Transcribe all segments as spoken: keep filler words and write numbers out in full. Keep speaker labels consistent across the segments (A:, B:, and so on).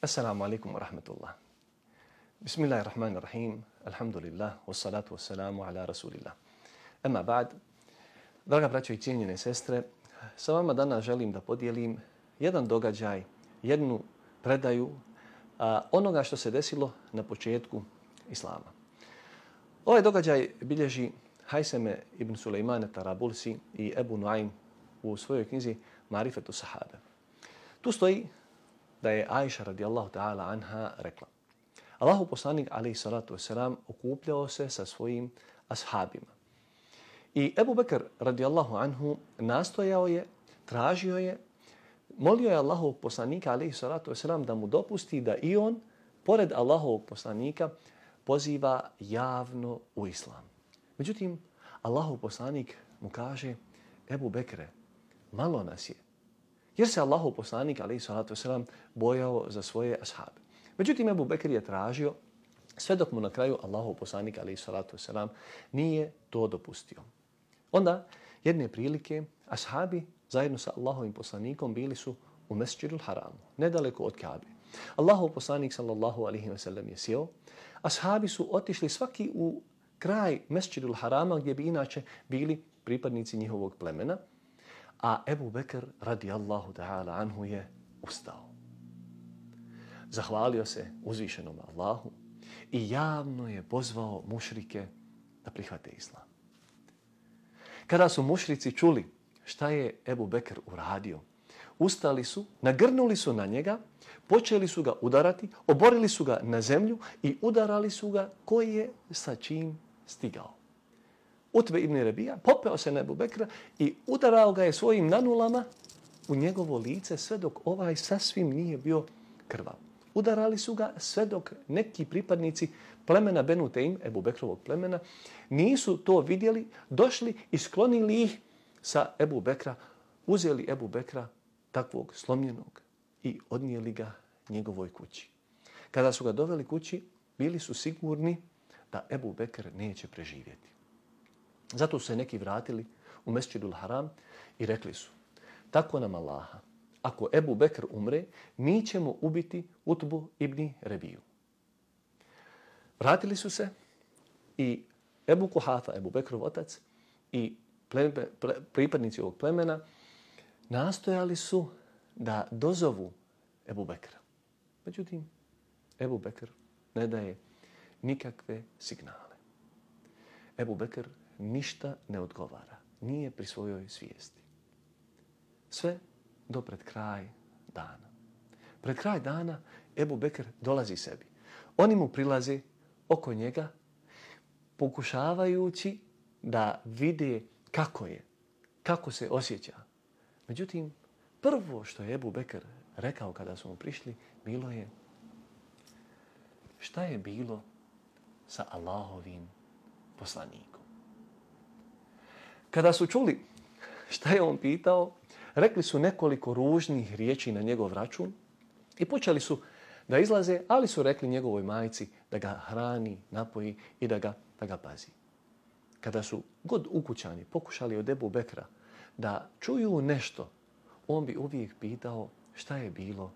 A: Assalamu alaikum wa rahmatullah. Bismillahirrahmanirrahim. Alhamdulillah. Wassalatu wassalamu ala rasulillah. Ema ba'd. Draga braćo i cijenjene sestre, sa vama danas želim da podijelim jedan događaj, jednu predaju a, onoga što se desilo na početku Islama. Ovaj događaj bilježi Hajseme ibn Sulejmane Tarabulsi i Ebu Nuaym u svojoj knjizi Marifetu Sahabe. Tu stoji da je Ajša radijallahu ta'ala anha rekla: Allahu poslanik alejhi salatu vesselam okupljao se sa svojim ashabima. I Ebu Bekr radijallahu anhu nastojao je, tražio je, molio je Allahovog poslanika alejhi salatu vesselam da mu dopusti da i on, pored Allahovog poslanika, poziva javno u islam. Međutim, Allahov poslanik mu kaže: Ebu Bekre, malo nas je. Jer se Allahov poslanik alejhi salatu vesselam bojao za svoje ashabe. Međutim, Ebu Bekr je tražio sve dok mu na kraju Allahov poslanik alejhi salatu vesselam nije to dopustio. Onda, jedne prilike, ashabi zajedno sa Allahovim poslanikom bili su u Mesdžidul Haramu, nedaleko od Kabe. Allahov poslanik sallallahu alejhi ve sellem je sjeo, ashabi su otišli svaki u kraj Mesdžidul Harama gdje bi inače bili pripadnici njihovog plemena, a Ebu Bekr radijallahu ta'ala anhu je ustao. Zahvalio se uzvišenom Allahu i javno je pozvao mušrike da prihvate islam. Kada su mušrici čuli šta je Ebu Bekr uradio, ustali su, nagrnuli su na njega, počeli su ga udarati, oborili su ga na zemlju i udarali su ga koji je sa čim stigao. Utbe ibn Rebija popeo se na Ebu Bekra i udarao ga je svojim nanulama u njegovo lice sve dok ovaj sasvim nije bio krvav. Udarali su ga sve dok neki pripadnici plemena Benu Teim, Ebu Bekrovog plemena, nisu to vidjeli, došli i sklonili ih sa Ebu Bekra, uzeli Ebu Bekra takvog slomljenog i odnijeli ga njegovoj kući. Kada su ga doveli kući, bili su sigurni da Ebu Bekr neće preživjeti. Zato su se neki vratili u Mesdžidul Haram i rekli su: tako nam Allaha, ako Ebu Bekr umre, mi ćemo ubiti Utbu ibn Rebiju. Vratili su se i Ebu Kuhafa, Ebu Bekrov otac, i pleme, ple, pripadnici ovog plemena nastojali su da dozovu Ebu Bekra. Međutim, Ebu Bekr ne daje nikakve signale. Ebu Bekr ništa ne odgovara, nije pri svojoj svijesti. Sve do pred kraj dana. Pred kraj dana Ebu Bekr dolazi sebi. Oni mu prilaze oko njega, pokušavajući da vide kako je, kako se osjeća. Međutim, prvo što je Ebu Bekr rekao kada su mu prišli, bilo je: šta je bilo sa Allahovim poslanikom? Kada su čuli šta je on pitao, rekli su nekoliko ružnih riječi na njegov račun i počeli su da izlaze, ali su rekli njegovoj majci da ga hrani, napoji i da ga, da ga pazi. Kada su god ukućani pokušali od Ebu Bekra da čuju nešto, on bi uvijek pitao šta je bilo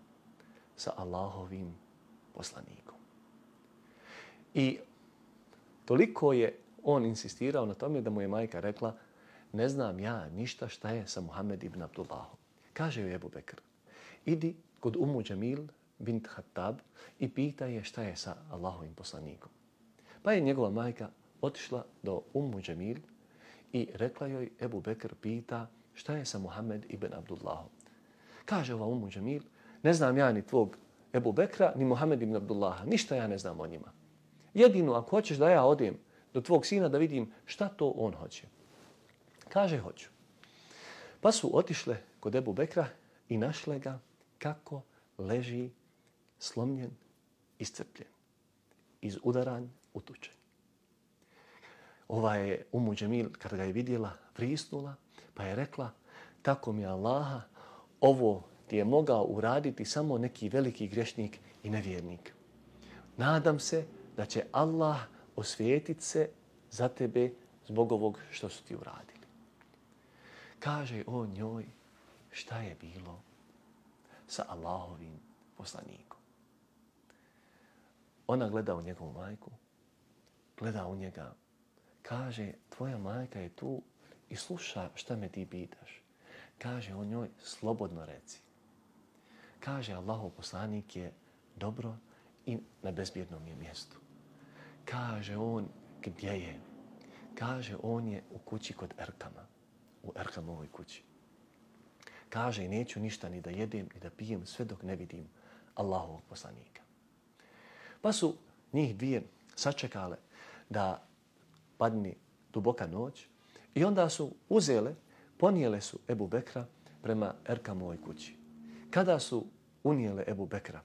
A: sa Allahovim poslanikom. I toliko je on insistirao na tome da mu je majka rekla: ne znam ja ništa šta je sa Muhammed ibn Abdullahom. Kaže joj Ebu Bekr: idi kod Ummu Džemil bint Hattab i pita je šta je sa Allahovim poslanikom. Pa je njegova majka otišla do Ummu Džemil i rekla joj: Ebu Bekr pita šta je sa Muhammed ibn Abdullahom. Kaže ova Ummu Džemil: ne znam ja ni tvog Ebu Bekra, ni Muhammed ibn Abdullaha, ništa ja ne znam o njima. Jedino ako hoćeš da ja odem do tvog sina da vidim šta to on hoće. Kaže: hoću. Pa su otišle kod Ebu Bekra i našle ga kako leži slomljen, iscrpljen, izudaran, utučen. Ova je Ummu Džemil, kada ga je vidjela, vrisnula, pa je rekla: tako mi Allaha, ovo ti je mogao uraditi samo neki veliki grešnik i nevjernik. Nadam se da će Allah osvijetit se za tebe zbog ovog što su ti uradili. Kaže on njoj šta je bilo sa Allahovim poslanikom. Ona gleda u njegovu majku, gleda u njega, kaže, tvoja majka je tu i sluša šta me ti pitaš. Kaže on njoj, slobodno reci. Kaže, Allahov poslanik je dobro i na bezbjednom je mjestu. Kaže on, gdje je? Kaže, on je u kući kod Erkama, u Erkamovoj kući. Kaže, neću ništa ni da jedem, ni da pijem, sve dok ne vidim Allahovog poslanika. Pa su njih dvije sačekale da padne duboka noć i onda su uzele, ponijele su Ebu Bekra prema Erkamovoj kući. Kada su unijele Ebu Bekra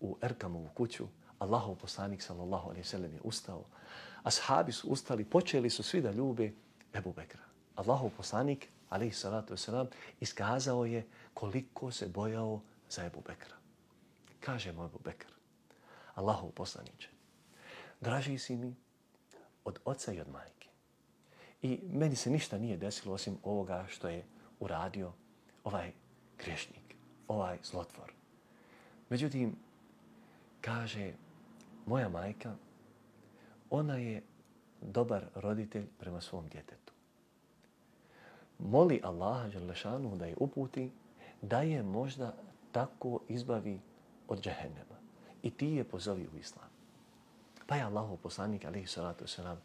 A: u Erkamovu kuću, Allahov poslanik sallallahu alejhi ve sellem je ustao, ashabi su ustali, počeli su svi da ljube Ebu Bekra. Allahov poslanik alejhi salatu vesselam iskazao je koliko se bojao za Ebu Bekra. Kaže mu Ebu Bekr, Allahov poslaniče, draži si mi od oca i od majke. I meni se ništa nije desilo osim ovoga što je uradio ovaj griješnik, ovaj zlotvor. Međutim, kaže, moja majka, ona je dobar roditelj prema svom djetetu. Moli Allaha dželešanu da je uputi, da je možda tako izbavi od džehennema. I ti je pozovi u islam. Pa je Allahov poslanik, alejhi salatu vesselam,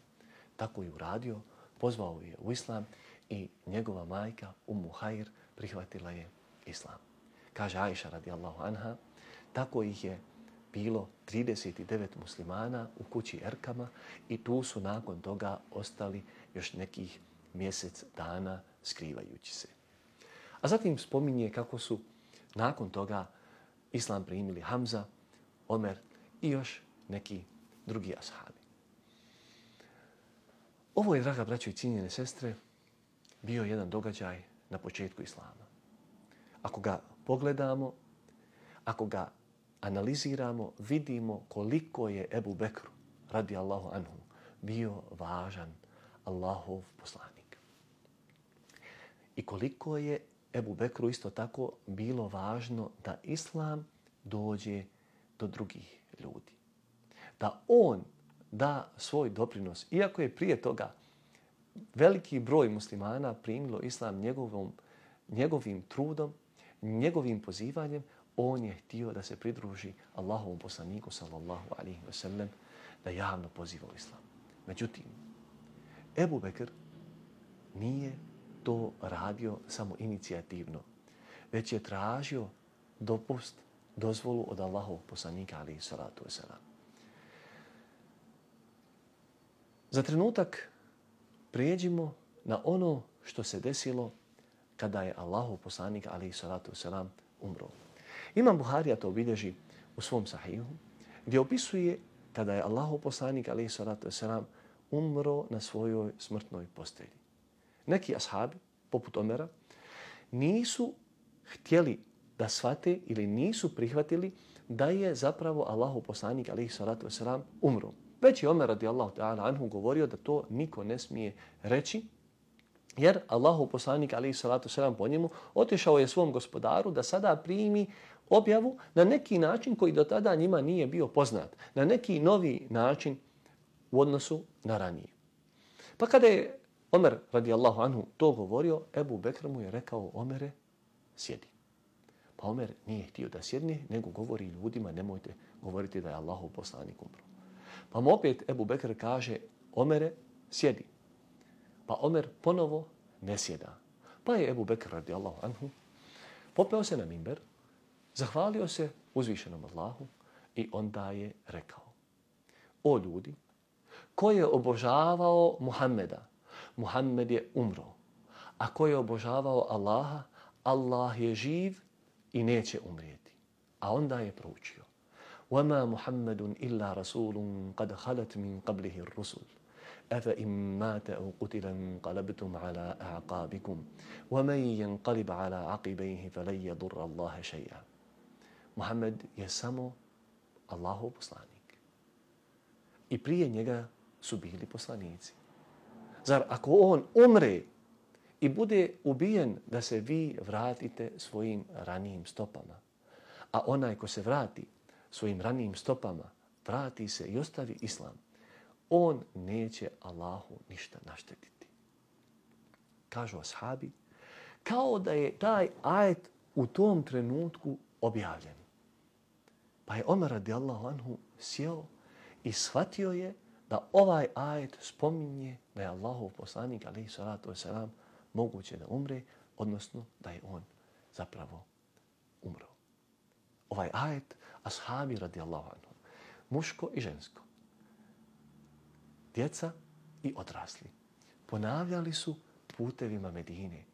A: tako i uradio, pozvao je u islam i njegova majka, Ummu Hajr, prihvatila je islam. Kaže Ajša radijallahu anha, tako ih je bilo trideset devet muslimana u kući Erkama i tu su nakon toga ostali još nekih mjesec dana skrivajući se. A zatim spominje kako su nakon toga islam primili Hamza, Omer i još neki drugi ashabi. Ovo je, draga braćo i cijenjene sestre, bio jedan događaj na početku islama. Ako ga pogledamo, ako ga analiziramo, vidimo koliko je Ebu Bekru, radijallahu anhu, bio važan Allahov poslanik. I koliko je Ebu Bekru isto tako bilo važno da islam dođe do drugih ljudi. Da on da svoj doprinos, iako je prije toga veliki broj muslimana primilo islam njegovom, njegovim trudom, njegovim pozivanjem, on je htio da se pridruži Allahovom poslaniku sallallahu alejhi ve sellem, da javno poziva u islam. Međutim, Ebu Bekr nije to radio samo inicijativno, već je tražio dopust, dozvolu od Allahovog poslanika alejhi salatu vesselam. Za trenutak prijeđimo na ono što se desilo kada je Allahov poslanik alejhi salatu vesselam umro. Imam Buharija to obilježi u svom sahihu, gdje opisuje kada je Allahov poslanik alejhi salatu vesselam umro na svojoj smrtnoj postelji. Neki ashabi, poput Omera, nisu htjeli da shvate ili nisu prihvatili da je zapravo Allahov poslanik alejhi salatu vesselam umro. Već je Omer radijallahu ta'ala anhu govorio da to niko ne smije reći, jer Allahov poslanik alejhi salatu vesselam po njemu otišao je svom gospodaru da sada primi objavu na neki način koji do tada njima nije bio poznat, na neki novi način u odnosu na ranije. Pa kada je Omer radijallahu anhu to govorio, Ebu Bekr mu je rekao, Omere, sjedi. Pa Omer nije htio da sjedne, nego govori ljudima, nemojte govoriti da je Allahov poslanik umro. Pa mu opet Ebu Bekr kaže, Omere, sjedi. Pa Omer ponovo ne sjeda. Pa je Ebu Bekr radijallahu anhu popeo se na mimber, zahvalio se uzvišenom Allahu i onda je rekao, o ljudi, ko je obožavao Muhammeda, Muhammed je umro, a ko je obožavao Allaha, Allah je živ i neće umrijeti. A onda je proučio, وَمَا مُحَمَّدٌ إِلَّا رَسُولٌ قَدْ خَلَتْ مِنْ قَبْلِهِ الرُّسُلُ أَفَإِنْ مَاتَ أَوْ قُتِلَ انقَلَبْتُمْ عَلَى أَعْقَابِكُمْ وَمَنْ يَنقَلِبْ عَلَى عَقِبَيْهِ فَلَنْ يَضُرَّ اللَّهَ شَيْئًا. Muhammed je samo Allahov poslanik. I prije njega su bili poslanici. Zar ako on umre i bude ubijen da se vi vratite svojim ranijim stopama, a onaj ko se vrati svojim ranijim stopama, vrati se i ostavi islam, on neće Allahu ništa naštetiti. Kažu ashabi, kao da je taj ajet u tom trenutku objavljen. Pa je Omer radijallahu anhu sjeo i shvatio je da ovaj ajet spominje da je Allahov poslanik alejhi salatu vesselam moguće da umre, odnosno da je on zapravo umro. Ovaj ajet ashabi radijallahu anhu, muško i žensko, djeca i odrasli, ponavljali su putevima Medine.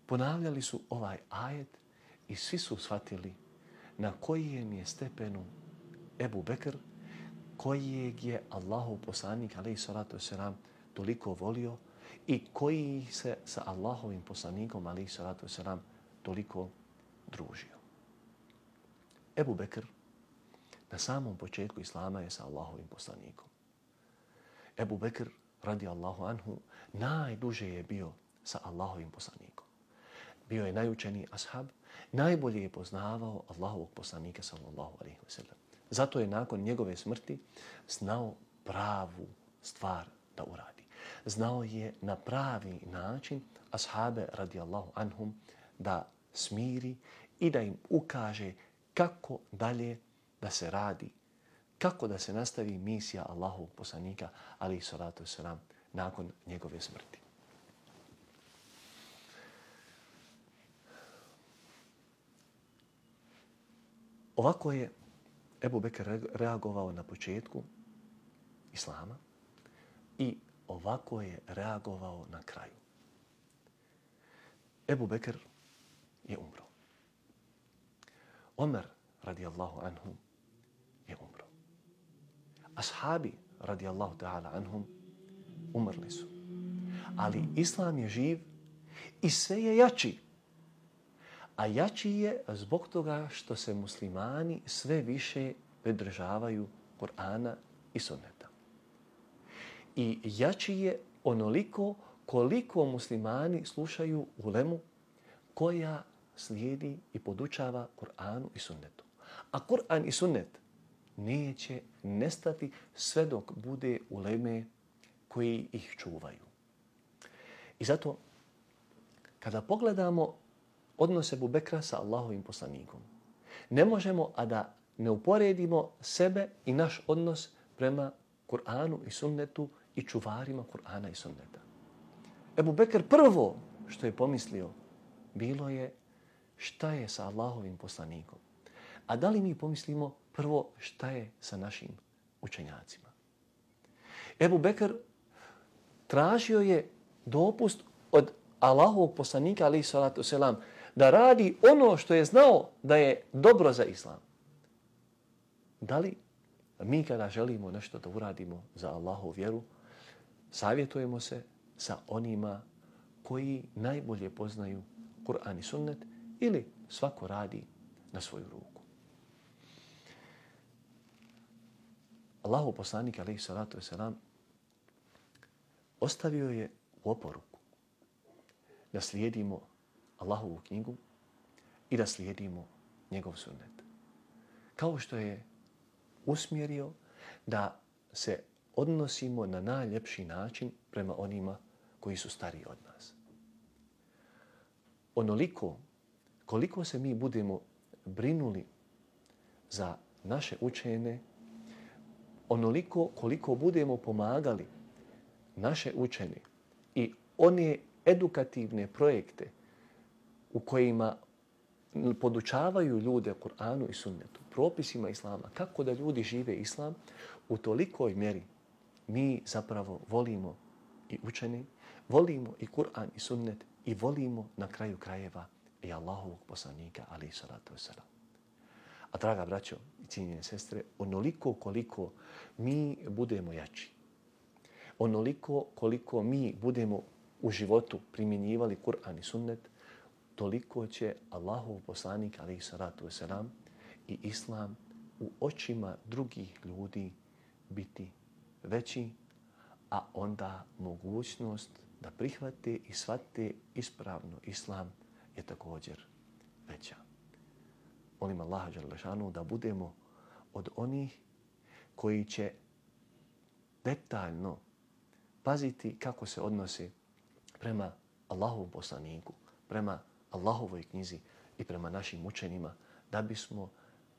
A: Ponavljali su ovaj ajet i svi su shvatili na kojem je stepenu Ebu Bekr, kojeg je Allahov poslanik alejhi salatu vesselam toliko volio i koji se sa Allahovim poslanikom alejhi salatu vesselam toliko družio. Ebu Bekr na samom početku islama je sa Allahovim poslanikom. Ebu Bekr radi Allahu anhu najduže je bio sa Allahovim poslanikom. Bio je najučeniji ashab, najbolje je poznavao Allahovog poslanika sallallahu alejhi ve sellem. Zato je nakon njegove smrti znao pravu stvar da uradi. Znao je na pravi način ashabe radijallahu anhum da smiri i da im ukaže kako dalje da se radi, kako da se nastavi misija Allahovog poslanika alejhi salatu vesselam nakon njegove smrti. Ovako je Ebu Bekr reagovao na početku islama i ovako je reagovao na kraju. Ebu Bekr je umro. Omer radijallahu anhu je umro. Ashabi radijallahu ta'ala anhum umrli su. Ali islam je živ i sve je jači. A jači je zbog toga što se muslimani sve više pridržavaju Kur'ana i sunneta. I jači je onoliko koliko muslimani slušaju ulemu koja slijedi i podučava Kur'anu i sunnetu. A Kur'an i sunnet neće nestati sve dok bude uleme koji ih čuvaju. I zato kada pogledamo odnos Ebu Bekra sa Allahovim poslanikom, ne možemo, a da ne uporedimo sebe i naš odnos prema Kur'anu i sunnetu i čuvarima Kur'ana i sunneta. Ebu Bekr prvo što je pomislio bilo je šta je sa Allahovim poslanikom. A da li mi pomislimo prvo šta je sa našim učenjacima? Ebu Bekr tražio je dopust od Allahovog poslanika alejhi salatu selam da radi ono što je znao da je dobro za islam. Da li mi kada želimo nešto da uradimo za Allahovu vjeru, savjetujemo se sa onima koji najbolje poznaju Kur'an i sunnet ili svako radi na svoju ruku? Allahov poslanik alejhi salatu selam ostavio je u oporuku da slijedimo Allahovu knjigu i da slijedimo njegov sunnet. Kao što je usmjerio da se odnosimo na najljepši način prema onima koji su stariji od nas. Onoliko koliko se mi budemo brinuli za naše učene, onoliko koliko budemo pomagali naše učene i one edukativne projekte u kojima podučavaju ljude Kur'anu i sunnetu, propisima islama, kako da ljudi žive islam, u tolikoj mjeri mi zapravo volimo i učene, volimo i Kur'an i sunnet i volimo na kraju krajeva i Allahovog poslanika alejhi salatu vesselam. A draga braćo i cijenjene sestre, onoliko koliko mi budemo jači, onoliko koliko mi budemo u životu primjenjivali Kur'an i sunnet, toliko će Allahov poslanik alejhi salatu vesselam i islam u očima drugih ljudi biti veći, a onda mogućnost da prihvate i shvate ispravno islam je također veća. Molim Allaha dželle šanu da budemo od onih koji će detaljno paziti kako se odnose prema Allahovom poslaniku, prema Allahovoj knjizi i prema našim učenjima, da bismo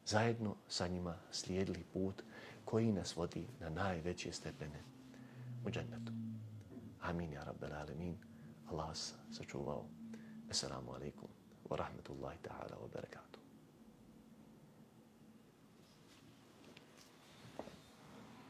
A: zajedno sa njima slijedili put koji nas vodi na najveće stepene u džennetu. Amin ja rabbel alemin. Allah vas sačuvao. Assalamu alaikum wa rahmatullahi ta'ala wa barakatuh.